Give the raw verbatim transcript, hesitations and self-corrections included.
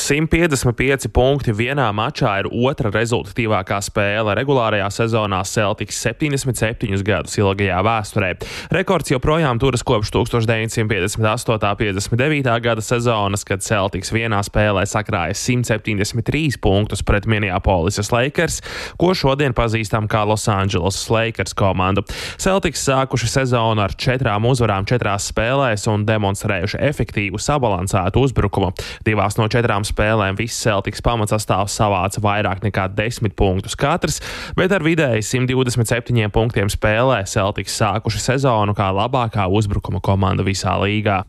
simt piecdesmit pieci punkti vienā mačā ir otra rezultatīvākā spēle regulārajā sezonā Celtics septiņdesmit septiņus gadus ilgajā vēsturē. Rekords joprojām turas kopš tūkstoš deviņsimt piecdesmit astotā piecdesmit devītā gada sezonas, kad Celtics vienā spēlē sakrāja simt septiņdesmit trīs punktus pret Minneapolis Lakers, ko šodien pazīstam kā Losandželosas Lakers komandu. Celtics sākuši sezonu ar četrām uzvarām četrās spēlēs un demonstrējuši efektīvu sabalansētu uzbrukumu. Divās no četrām spēlēm viss Celtics pamatsastāvs savāca vairāk nekā desmit punktus katrs, bet ar vidēji simt divdesmit septiņiem punktiem spēlē Celtics sākuši sezonu kā labākā uzbrukuma komanda visā līgā.